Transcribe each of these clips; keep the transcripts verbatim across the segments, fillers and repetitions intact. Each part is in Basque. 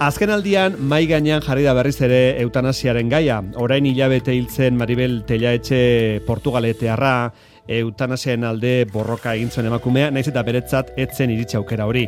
Azken aldian, mai gainean jarri da berriz ere eutanasiaren gaia. Orain hilabete hiltzen Maribel Tellaetxe Portugaletearra, eutanasiaren alde borroka egin zuen emakumea, naiz eta beretzat etzen iritsi aukera hori.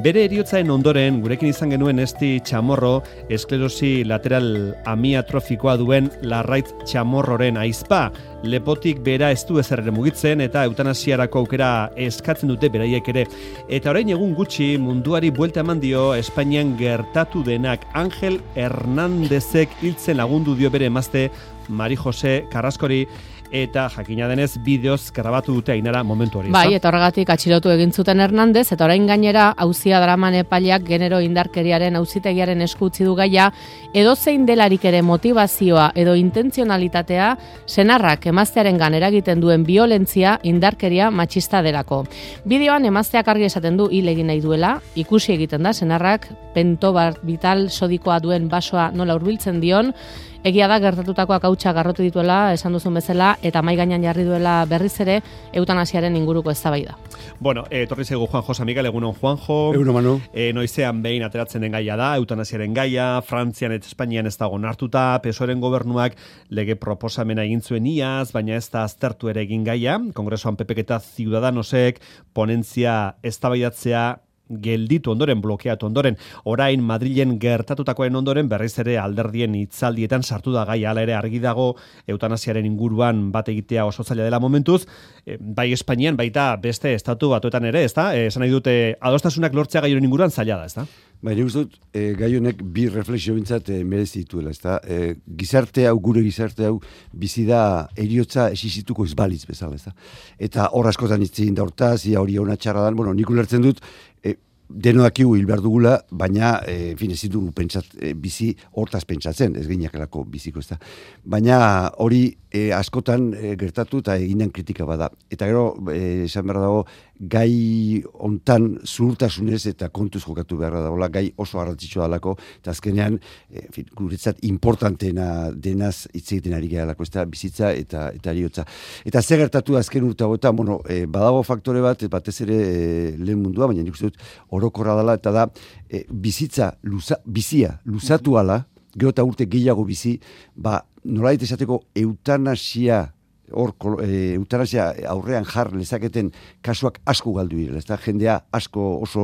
Bere heriotzaren ondoren, gurekin izan genuen Esti Chamorro, esklerosi lateral amiatrofikoa duen Larraitz Chamorroren aizpa. Lepotik bera ez du ezer ere mugitzen eta eutanasiarako aukera eskatzen dute beraiek ere. Eta orain egun gutxi munduari buelta eman dio Espainian gertatu denak. Angel Hernandezek hiltzen lagundu dio bere emazte Mari Jose Carrascori, eta jakina denez bideoz grabatu dute Ainara momentu hori. Bai, eta horregatik atxilotu egin zuten Hernandez, eta orain gainera auzia daraman epaileak genero indarkeriaren auzitegiaren esku utzi du gaia, edozein delarik ere motivazioa edo intentzionalitatea senarrak emaztearengan eragiten duen violentzia indarkeria matxista delako. Bideoan emazteak argi esaten du hil egin nahi duela, ikusi egiten da senarrak pentobarbital sodikoa duen basoa nola hurbiltzen dion. Egia da gertatutakoak hautsa garrotu dituela, esan duzun bezala, eta mai gainean jarri duela berriz ere eutanasiaren inguruko eztabaida. Bueno, etorri zaigu Juanjo Samikal, egunon Juanjo. Egunon Manu. E, noizean behin ateratzen den gaia da, eutanasiaren gaia, Frantzian eta Espainian ez dago onartuta, P S O E-ren gobernuak lege proposamena egin zuen iaz, baina ez da aztertu ere egin gaia, Kongresoan P P eta Ciudadanosek ponentzia eztabaidatzea gelditu ondoren, blokeatu ondoren, orain Madrilen gertatutakoen ondoren berriz ere alderdien hitzaldietan sartu da gaia, hala ere argi dago eutanasiaren inguruan bat egitea oso zaila dela momentuz, e, bai Espainian baita beste estatu batuetan ere, ezta? E, esan nahi dute adostasunak lortzea gai honen inguruan zaila da, ezta? Bai, nik uste dut, e, gai honek bi reflexio bintzat e, merezi dituela, ezta? E, gizarte hau, gure gizarte hau, bizi da eriotza esizituko izbalitz bezala, ezta? Eta hor askotan itzegin da hortaz, ia hori hona txarra dan, bueno, nik ulertzen dut, e, denodakigu hil behar dugula, baina, e, en fin, ez dugu pentsat, e, bizi hortaz pentsatzen, ez gineakelako biziko, ez da. Baina hori e, askotan e, gertatu eta eginan kritika bada. Eta gero, e, esan behar dago, gai hontan zuhurtasunez eta kontuz jokatu behar dagoela, gai oso garrantzitsua dalako, eta azkenean, e, en fin, guretzat importantena denaz hitz egiten ari gehalako, ez da, bizitza eta eta eriotza. Eta zer gertatu azken urte hauetan, bueno, e, badago faktore bat, batez ere e, lehen mundua, baina nik uste dut, orokorra dela, eta da, e, bizitza, luza, bizia, luzatu ala, gero eta urte gehiago bizi, ba, nolait esateko eutanasia, hor, e, eutanasia aurrean jar lezaketen kasuak asko galdu direla, ez da, jendea asko, oso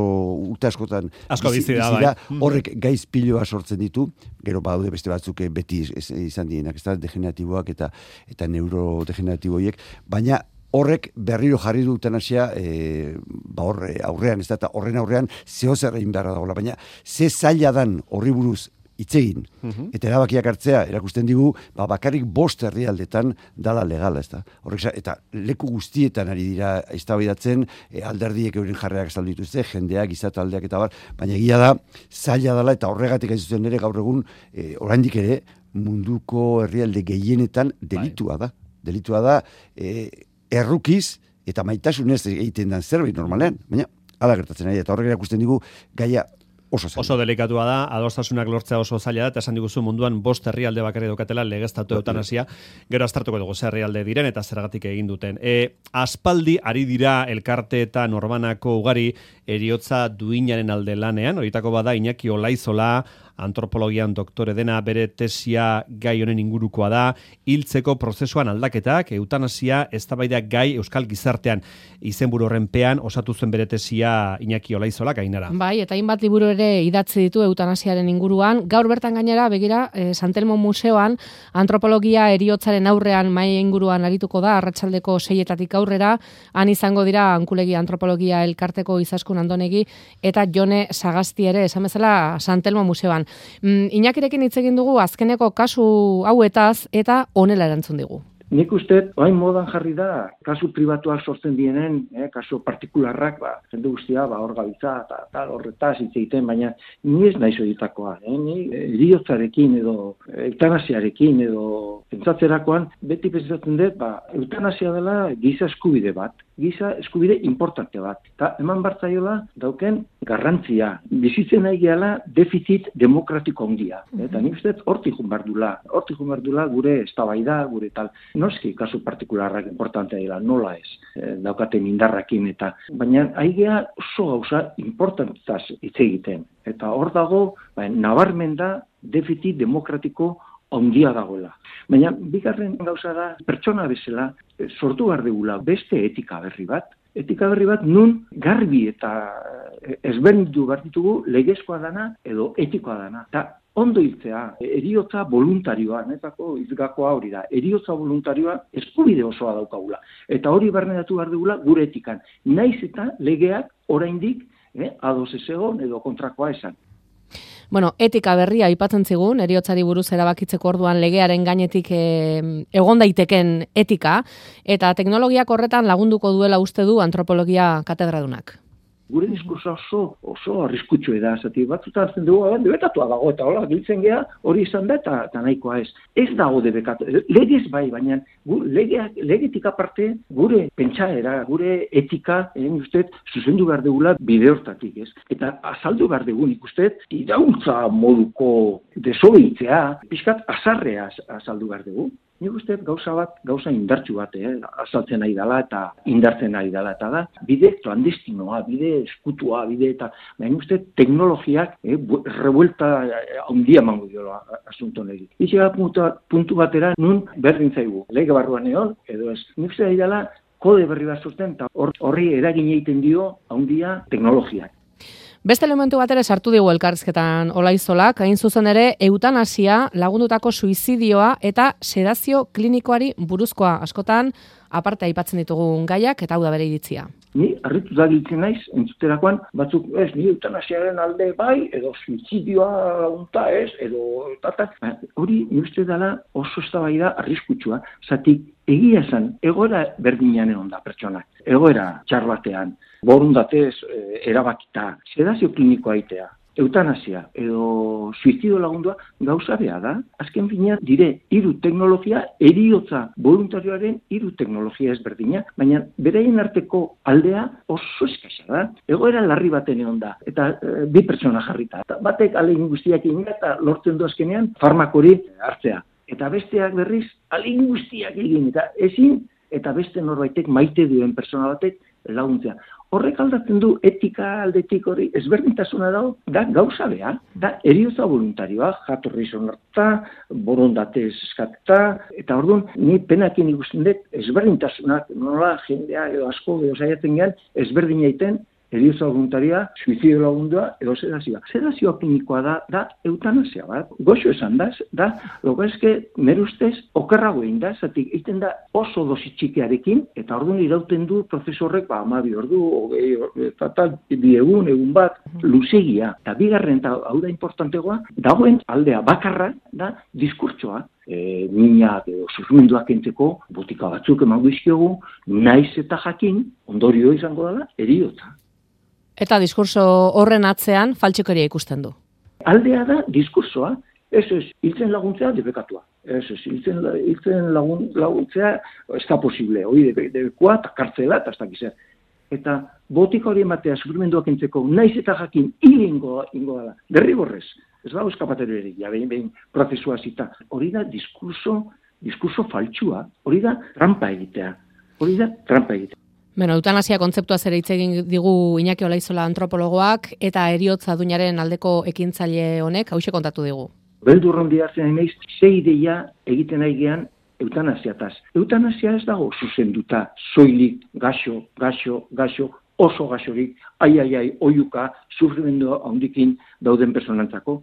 urte askotan asko bizi, bizi da, bizi da, bai. Horrek gaiz piloa sortzen ditu, gero badaude beste batzuk beti izan dienak, ez da, degeneratiboak eta, eta neurodegeneratiboiek, baina horrek berriro jarri du eutanasia e, ba horre aurrean, ez da, eta horren aurrean zeo zer egin beharra dagoela, baina ze zaila dan horri buruz hitz egin, uh-huh. eta erabakiak hartzea, erakusten digu, ba, bakarrik bost herrialdetan dala legala, ez da. Horrek, eta leku guztietan ari dira eztabaidatzen, e, alderdiek euren jarreak azaldu dituzte, jendeak, gizataldeak eta bar, baina egia da, zaila dela, eta horregatik ez zuten ere gaur egun, e, oraindik ere, munduko herrialde gehienetan delitua da. Delitua da, e, errukiz eta maitasunez egiten den zerbait normalean, baina hala gertatzen ari, eta horrek erakusten digu gaia oso zaila. Oso delikatua da, adostasunak lortzea oso zaila da, eta esan diguzu munduan bost herrialde bakarri daukatela legeztatu eutanasia, gero aztertuko dugu zer herrialde diren eta zergatik egin duten. E, aspaldi ari dira elkarte eta norbanako ugari eriotza duinaren alde lanean, horietako bada Iñaki Olaizola, antropologian doktore dena, bere tesia gai honen ingurukoa da, hiltzeko prozesuan aldaketak, eutanasia eztabaida gai euskal gizartean, izenburu horren pean osatu zuen bere tesia Iñaki Olaizola Ainara. Bai, eta hainbat liburu ere idatzi ditu eutanasiaren inguruan. Gaur bertan gainera, begira, eh, San Telmo Museoan antropologia eriotzaren aurrean mai inguruan arituko da, arratsaldeko seietatik aurrera, han izango dira Ankulegi Antropologia Elkarteko Izaskun Andonegi eta Jone Sagasti ere, esan bezala San Telmo Museoan. Mm, Iñakirekin hitz egin dugu azkeneko kasu hauetaz eta honela erantzun digu. Nik uste, orain modan jarri da, kasu pribatuak sortzen dienen, eh, kasu partikularrak, ba, jende guztia, ba, hor gabitza, eta tal, horretaz hitz egiten, baina ni ez naiz horietakoa, eh, ni heriotzarekin edo eutanasiarekin edo pentsatzerakoan, beti pentsatzen dut, ba, eutanasia dela giza eskubide bat, giza eskubide importante bat. Eta eman bartzaiola dauken garrantzia. Bizitzen nahi gehala defizit demokratiko handia. Eta nik uste hortik jun bardula. Hortik jun bardula gure eztabaida, gure tal. Noski kasu partikularrak importantea dela, nola ez. E, daukaten indarrakin eta. Baina aigea oso gauza importantaz hitz egiten. Eta hor dago, ba, nabarmen da defizit demokratiko handia dagoela. Baina, bigarren gauza da, pertsona bezala, sortu behar dugula beste etika berri bat. Etika berri bat nun garbi eta ezberdindu behar ditugu legezkoa dana edo etikoa dana. Eta ondo hiltzea, heriotza voluntarioa, netako izgakoa hori da, heriotza voluntarioa eskubide osoa daukagula. Eta hori barneratu behar dugula gure etikan. Naiz eta legeak oraindik eh, ados ez egon edo kontrakoa esan. Bueno, etika berria aipatzen zigun, heriotzari buruz erabakitzeko orduan legearen gainetik e, egon daiteken etika, eta teknologiak horretan lagunduko duela uste du antropologia katedradunak. Gure diskursa oso, oso arriskutsu da, zati batzutan hartzen dugu, debekatua dago, eta hola, giltzen geha, hori izan da, eta, eta nahikoa ez. Ez dago debekatu, legez bai, baina gu, legeak, legetik aparte, gure pentsaera, gure etika, egin ustez, zuzendu behar dugula bide hortatik, ez? Eta azaldu behar dugun ikustez, irautza moduko desobeitzea, pixkat azarrea azaldu behar dugu. Nik uste gauza bat, gauza indartsu bat, eh? Azaltzen nahi dela eta indartzen nahi dela, eta da, bide clandestinoa, bide eskutua, bide eta, baina uste teknologiak, eh, revuelta handia mango diola asunto negi. Itxega puntu, puntu batera, nun berdin zaigu, lege barruan egon, edo ez. Nik uste nahi dela, kode berri bat zuten, eta horri eragin egiten dio handia teknologiak. Beste elementu bat ere sartu digu elkarrizketan Olaizolak, hain zuzen ere eutanasia, lagundutako suizidioa eta sedazio klinikoari buruzkoa, askotan aparte aipatzen ditugun gaiak eta hau da bere iritzia. Ni harritu da giltzen naiz, entzuterakoan, batzuk, ez, ni eutanasiaren alde bai, edo suizidioa lagunta ez, edo tata. Hori, ni uste dela oso eztabaida arriskutsua, zatik egia esan, egoera berdinean egon da pertsonak, egoera txar batean, borundatez e, erabakita, sedazio klinikoa aitea, eutanasia edo suizidio lagundua gauza bea da. Azken finean dire hiru teknologia, heriotza voluntarioaren hiru teknologia ezberdina, baina beraien arteko aldea oso eskasa da. Egoera larri baten egon da, eta e, bi pertsona jarrita. Eta batek alegin guztiak egin eta lortzen du azkenean farmakori hartzea. Eta besteak berriz alegin guztiak egin, eta ezin, eta beste norbaitek maite duen pertsona batek laguntzea. Horrek aldatzen du etika aldetik hori ezberdintasuna dago, da gauza beha, da heriotza voluntarioa, jatorri sonarta, borondate eskata, eta orduan ni penakin ikusten dut ezberdintasunak, nola jendea edo asko edo saiatzen gehan ezberdin egiten heriotza voluntaria, suizidio lagundua edo sedazioa. Sedazioa klinikoa da, da eutanasia bat. Goxo esan da, da, loga eske, merustez, okerrago egin da, zatik egiten da oso dosi txikiarekin, eta orduan irauten du prozesu horrek, ba, amabi ordu, ogei, eta tal, bi egun, egun bat, luzegia. Eta bigarren, eta hau da importantegoa, dagoen aldea bakarra, da, diskurtsoa. E, minak edo sufrimenduak entzeko botika batzuk emango izkiogu, naiz eta jakin, ondorio izango dela, heriotza. Eta diskurso horren atzean faltsukeria ikusten du. Aldea da diskursoa, ez ez, hiltzen laguntzea debekatua. Ez ez, hiltzen, hiltzen lagun, laguntzea ez da posible, hori debekua eta kartzela eta ez da gizar. Eta botika hori ematea sufrimenduak entzeko, naiz eta jakin hil ingo, ingo dela, derrigorrez. Ez da euskapatero ere, ja behin behin prozesua zita. Hori da diskurso, diskurso faltsua, hori da trampa egitea, hori da trampa egitea. Bueno, eutanasia kontzeptua ere hitz egin digu Iñaki Olaizola antropologoak eta heriotza duinaren aldeko ekintzaile honek hauxe kontatu digu. Beldurron diartzen naiz, sei ideia egiten nahi gean eutanasiataz. Eutanasia ez dago zuzenduta, soilik, gaxo, gaxo, gaxo, oso gaxorik, ai, ai, ai, oiuka, sufrimendu handikin dauden personantzako.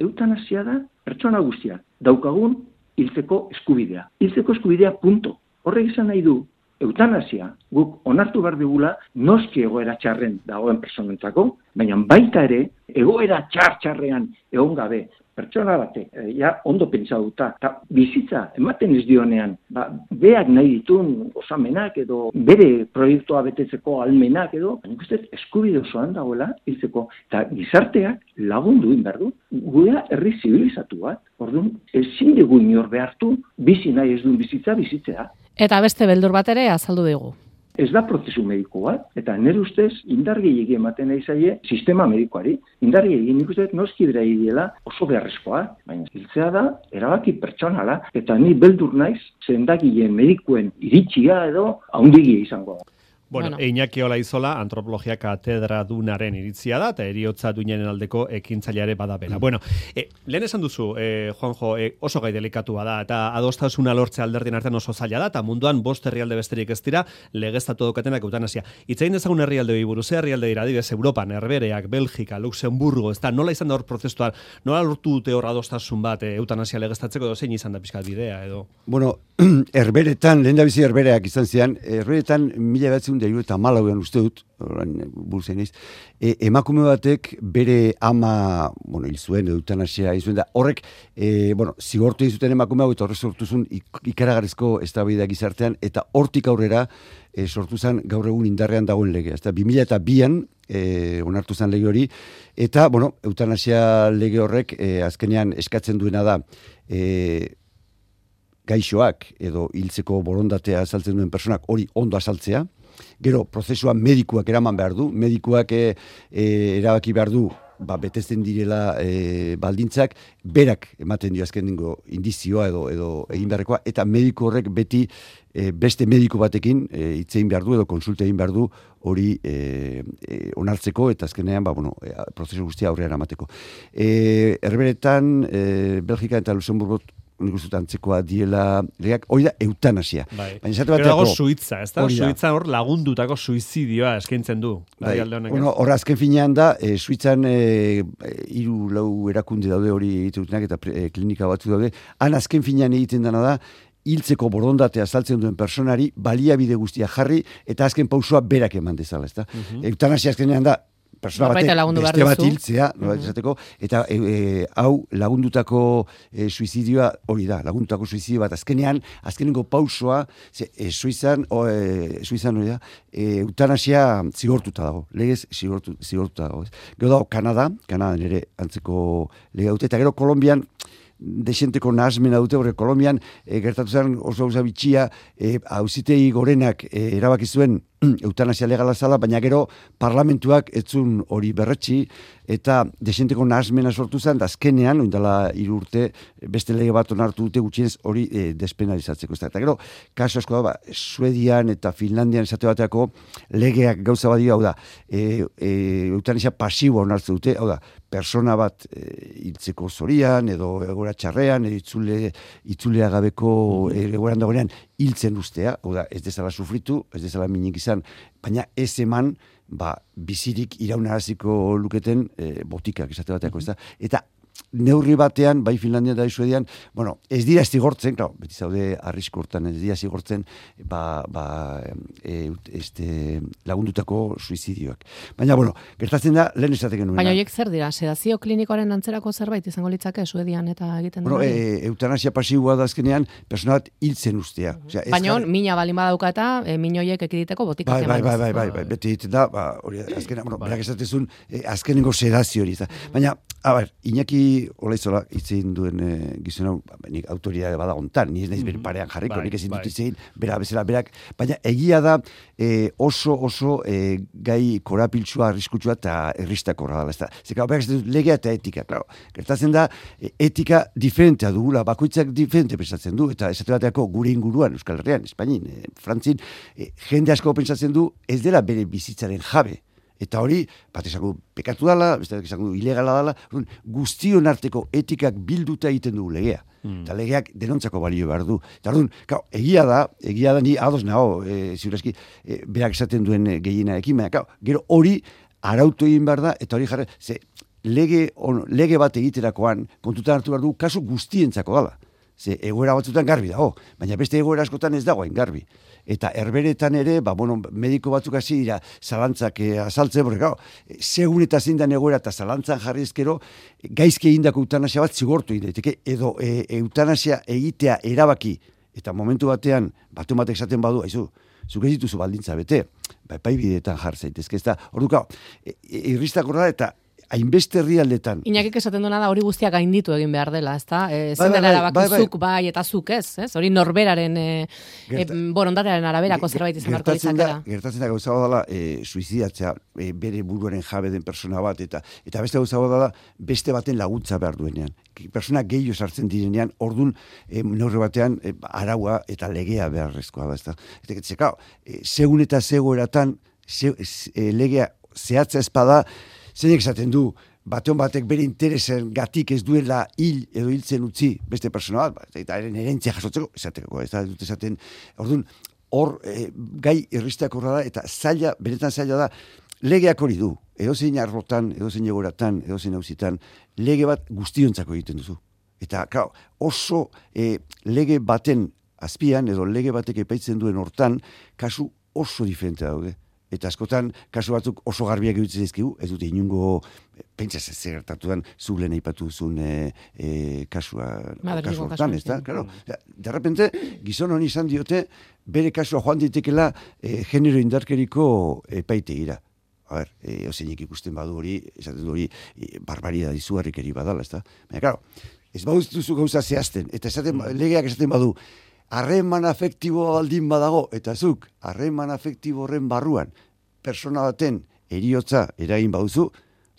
Eutanasia da pertsona guztiak, daukagun hiltzeko eskubidea. Hiltzeko eskubidea punto. Horrek izan nahi du, eutanasia guk onartu behar dugula noski egoera txarren dagoen personentzako, baina baita ere egoera txar-txarrean egon gabe pertsona batek, e, ja ondo pentsatuta, eta bizitza ematen ez dionean, ba, beak nahi ditun osamenak edo bere proiektua betetzeko almenak edo, baina ikusten eskubide osoan dagoela hiltzeko, eta gizarteak lagundu behar du, gurea herri zibilizatu bat, orduan ezin dugu inor behartu, bizi nahi ez duen bizitza bizitzea. Eta beste beldur bat ere azaldu digu. ez da prozesu mediko bat, eta nire ustez indar gehiegi ematen nahi zaie sistema medikoari. Indar gehiegi nik uste noski bera diela oso beharrezkoa, baina hiltzea da erabaki pertsonala, eta ni beldur naiz sendagileen medikuen iritsia edo haundigia izango da. Bueno, bueno. Iñaki Olaizola, antropologia katedra dunaren iritzia da, eta eriotza duinaren aldeko ekintzaileare badabela. Mm. Bueno, e, lehen esan duzu, e, Juanjo, e, oso gai delikatua da, eta adostasuna lortzea alderdien artean oso zaila da, eta munduan bost herrialde besterik ez dira, legeztatu daukatenak eutanasia. Itzain dezagun herrialde buruz, herrialde dira, adibidez, Europan, Herbereak, Belgika, Luxemburgo, ez da, nola izan da hor prozesuan, nola lortu dute hor adostasun bat e, eutanasia legeztatzeko, edo zein izan da pixkat bidea, edo? Bueno, Herberetan, lehen da bizi Herbereak izan zian, Herberetan mila batzen da eta malauean uste dut, orain burzen eiz, e, emakume batek bere ama, bueno, hil zuen, eutanasia hil zuen da, horrek, e, bueno, zigortu egin zuten emakume hau, eta horrek sortu zuen ikaragarrizko eztabaida gizartean, eta hortik aurrera e, sortu zen gaur egun indarrean dagoen legea. Eta bi mila eta bian e, onartu zen lege hori, eta, bueno, eutanasia lege horrek e, azkenean eskatzen duena da, e, gaixoak edo hiltzeko borondatea azaltzen duen personak hori ondo azaltzea, gero prozesua medikuak eraman behar du, medikuak e, e, erabaki behar du, ba, betetzen direla e, baldintzak, berak ematen dio azkenengo indizioa edo edo egin beharrekoa, eta mediku horrek beti e, beste mediku batekin e, hitz egin behar du edo konsulta egin behar du hori e, e, onartzeko, eta azkenean ba, bueno, e, prozesu guztia aurrera eramateko. E, Herberetan, e, Belgika eta Luxemburgo nik uste antzekoa diela legeak, hori da eutanasia. Bai. Baina esate bateako... Pero dago Suitza, ez da? Suitza hor lagundutako suizidioa eskaintzen du. Bai. Bueno, hor azken finean da, e, Suitzan e, hiru lau erakunde daude hori egitetunak eta e, klinika batzu daude, han azken finean egiten dena da, hiltzeko borondatea azaltzen duen personari baliabide guztia jarri eta azken pausua berak eman dezala, ez da? Uh-huh. Eutanasia azkenean da, persona batek beste bat hiltzea, no, esateko, eta e, e, hau lagundutako e, suizidioa hori da, lagundutako suizidio bat azkenean, azkenengo pausoa, ze, e, Suizan, o, e, Suizan hori da, e, eutanasia zigortuta dago, legez zigortu, zigortuta dago. Gero dago Kanada, Kanadan ere antzeko lega dute, eta gero Kolombian, desenteko nahasmena dute, horre Kolombian e, gertatu zen oso gauza bitxia, e, auzitegi gorenak e, erabaki zuen eutanasia legala zala, baina gero parlamentuak etzun hori berretsi, eta desenteko nahasmena sortu zen, da azkenean, oindala hiru urte, beste lege bat onartu dute gutxienez hori e, despenalizatzeko. Eta gero, kaso asko da, ba, Suedian eta Finlandian esate bateako legeak gauza badio, hau da, e, e, eutanasia pasiboa onartzen dute, hau da, persona bat e, hiltzeko zorian, edo egoera txarrean, edo itzule, itzulea gabeko egoeran dagoenean hiltzen ustea, hau da, ez dezala sufritu, ez dezala minik izan, baina ez eman, ba, bizirik iraunaraziko luketen e, botikak esate bateako, ez da? Eta neurri batean, bai Finlandia eta Suedian, bueno, ez dira zigortzen, claro, beti zaude arrisku hortan, ez dira zigortzen, ba, ba, e, este, lagundutako suizidioak. Baina, bueno, gertatzen da, lehen esateken nuena. Baina horiek zer dira, sedazio klinikoaren antzerako zerbait izango litzake Suedian eta egiten bueno, e, eutanasia pasiboa da azkenean, persona bat hiltzen ustea. Uh-huh. Osea, baina, jare... mina balin badaukata, e, min horiek ekiditeko botikak bai, bai, bai, bai, bai, bai, beti egiten da, ba, hori, azkenean, bueno, berak esatezun, e, azkenengo sedazio hori. Baina, a ber, Iñaki Olaizola hitzein duen e, gizon hau, nik autoridade badagontan, ni ez naiz bere parean jarriko, bai, nik ezin dut hitzein, bera bezala berak, baina egia da e, oso oso e, gai korapiltsua, arriskutsua eta erristakorra dela, ez da. Zeka, berak ez dut legea eta etika, claro. Gertatzen da, e, etika diferentea dugula, bakoitzak diferente pensatzen du, eta esate bateako gure inguruan, Euskal Herrian, Espainin, e, Frantzin, e, jende asko pensatzen du, ez dela bere bizitzaren jabe. Eta hori, bat esango pekatu dala, beste esango ilegala dala, guztion arteko etikak bilduta egiten du legea. Mm. Eta legeak denontzako balio behar du. Eta orduan, egia da, egia da ni ados nago, e, ziurezki, e, berak esaten duen gehienarekin, baina, gero hori arautu egin behar da, eta hori jarri, ze lege, on, lege bat egiterakoan, kontutan hartu behar du, kasu guztientzako dala. Ze egoera batzutan garbi dago, baina beste egoera askotan ez dagoen garbi. Eta Herberetan ere, ba, bueno, mediko batzuk hasi dira zalantzak e, azaltzen, porque, claro, segun eta zein da egoera eta zalantzan jarri ezkero, gaizki egindako eutanasia bat zigortu egin daiteke, edo e, eutanasia egitea erabaki, eta momentu batean, batu batek esaten badu, haizu, zuk ez dituzu baldintza bete, ba, epai bideetan jar zaitezke, ez da, orduka, e, irristakorra eta hainbeste herrialdetan. Inakik esaten duena da hori guztiak gainditu egin behar dela, ezta? E, Bai, zen bai, dela bai, erabaki bai, bai. zuk bai eta zuk ez, ez? Hori norberaren e, e, Gerta- borondatearen araberako zerbait izan beharko Gertatzen da, litzakela. gertatzen da gauza bat dela e, suizidatzea e, bere buruaren jabe den persona bat eta eta beste gauza bat dela beste baten laguntza behar duenean. Persona gehiago sartzen direnean, ordun e, neurri batean e, araua eta legea beharrezkoa da, ezta. Eta zeka, e, segun eta zegoeratan ze, e, legea zehatza espada, zeinek esaten du, batean batek bere interesen gatik ez duela hil edo hiltzen utzi beste persona bat, eta eren herentzia jasotzeko, esateko, ez da dut esaten, orduan, hor e, gai irristeak horra da, eta zaila, benetan zaila da, legeak hori du, edozein arlotan, edozein egoratan, edozein hauzitan, lege bat guztiontzako egiten duzu. Eta, klar, oso e, lege baten azpian, edo lege batek epaitzen duen hortan, kasu oso diferente daude. Eta askotan, kasu batzuk oso garbiak egitzen dizkigu, ez dute inungo, pentsa ez gertatuan, zu lehen aipatu duzun e, e, kasua, kasu hortan, ez da? Claro, de repente, gizon honi izan diote, bere kasua joan ditekela e, genero indarkeriko epaitegira. A ber, e, ozeinek ikusten badu hori, esaten du hori, e, barbaria dizugarrikeri badala, ez da? Baina, claro, ez baduzu gauza zehazten, eta esaten, legeak esaten badu, harreman afektibo baldin badago, eta zuk, harreman afektibo horren barruan, persona baten heriotza eragin baduzu,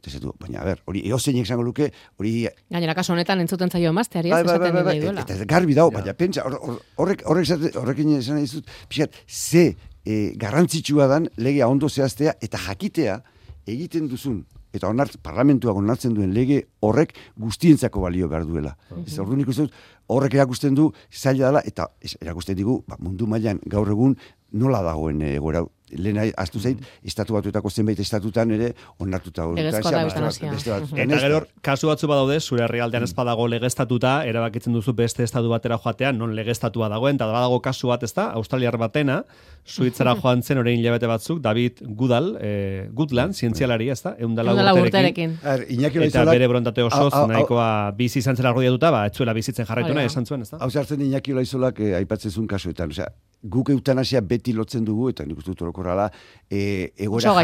eta zatu, baina, a ber, hori eozeinek esango luke, hori... Gainera, kasu honetan entzuten zaio emazteari, ez bai, bai, esaten bai, bai, nahi duela. eta garbi dago, baina, pentsa, hor- hor- horrek, horrek, esate- horrekin esan nahi dizut, pixat, ze e, garrantzitsua dan legea ondo zehaztea, eta jakitea egiten duzun, eta onart, parlamentuak onartzen duen lege horrek guztientzako balio behar duela. Ez orduan ikusten dut, horrek erakusten du zaila dela, eta ez, erakusten digu, ba, mundu mailan gaur egun nola dagoen egoera. Lehen astu zait, estatu batuetako zenbait estatutan ere onartuta. Legezkoa da eutanasia. Eta gero, kasu batzu badaude, zure herrialdean ez badago legeztatuta, erabakitzen duzu beste estatu batera joatean, non legeztatua dagoen, eta badago kasu bat, ez da, australiar batena, Suitzara joan zen orain hilabete batzuk, David Goodall, eh, Goodland, zientzialari, ez da, eundala urterekin. Eta bere borontate osoz, nahikoa bizi izan zela argudiatuta, ba, etzuela bizitzen jarraitu nahi esan zuen, ez da? Hau zartzen Iñaki Olaizolak eh, aipatzen zuen kasuetan, osea, guk eutanasia beti lotzen dugu, eta nik uste dut orokorrala, e, egoera,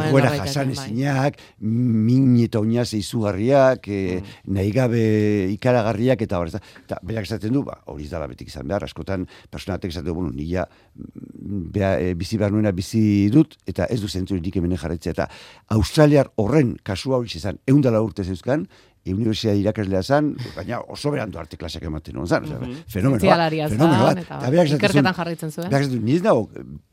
egoera jasan ezinak, min eta oinaz izugarriak, e, nahi gabe ikaragarriak, eta hor, eta berak esaten du, ba, hori dala betik izan behar, askotan personatek esaten du, bueno, nila bea, e, bizi behar nuena bizi dut, eta ez du zentzurik hemen jarraitzea, eta Australiar horren kasua hori izan, eundala urte zeuzkan, universidad irakaslea zan, baina oso berandu arte klaseak ematen hon zan, fenomeno bat, fenomeno bat. Eta ikerketan jarraitzen zuen. Berak esaten, niz nago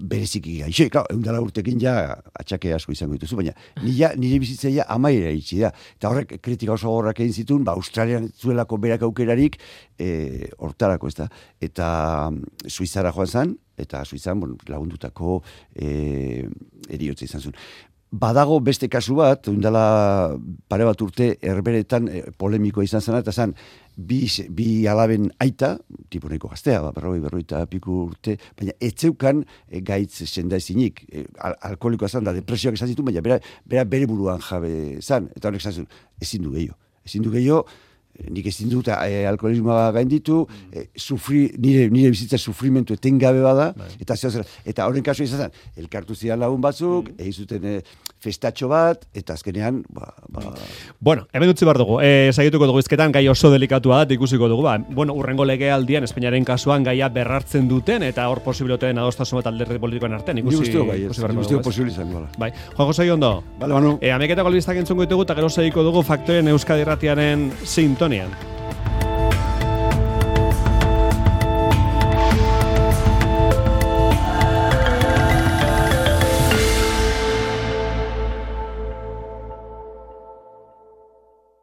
bereziki gaixo, klar, eundala urtekin ja atxake asko izango dituzu, baina nire, nire bizitzaia amaira itxi da. Eta horrek kritika oso gorrak egin zituen, ba, Australian zuelako berak aukerarik e, hortarako, ez da. Eta Suizara joan zan, eta Suizan bon, lagundutako e, eriotza izan zuen. Badago beste kasu bat, ondala pare bat urte herberetan e, polemikoa izan zena, eta zan, bi, bi alaben aita, tipo nahiko gaztea, ba, berroi, berroi eta piku urte, baina etzeukan e, gaitz sendaizinik, e, al alkoholikoa zan, da depresioak izan zitu, baina bera, bera bere buruan jabe zan, eta honek zan zuen, ezin du gehiago, ezin du gehiago, nik ezin dut e, alkoholismoa gainditu, e, sufri, nire, nire bizitza sufrimentu etengabe bada, bai. eta zehazera, eta horren kasu izan zen, elkartu zidan lagun batzuk, mm. egin zuten e, festatxo bat, eta azkenean, ba... ba... Bueno, hemen dutzi behar dugu, e, sagituko dugu izketan, gai oso delikatua da, ikusiko dugu, ba, bueno, urrengo legealdian, Espainiaren kasuan gaia berrartzen duten, eta hor posibilitateen adostasun bat alderdi politikoen artean, ikusi... Ni guztio bai, ni guztio posibil izan gola. Bai, Juan Jose Ondo. Bale, Manu. E, ameketako albistak entzungo ditugu, eta gero segiko dugu Faktorien Euskadi Irratiaren sintonian.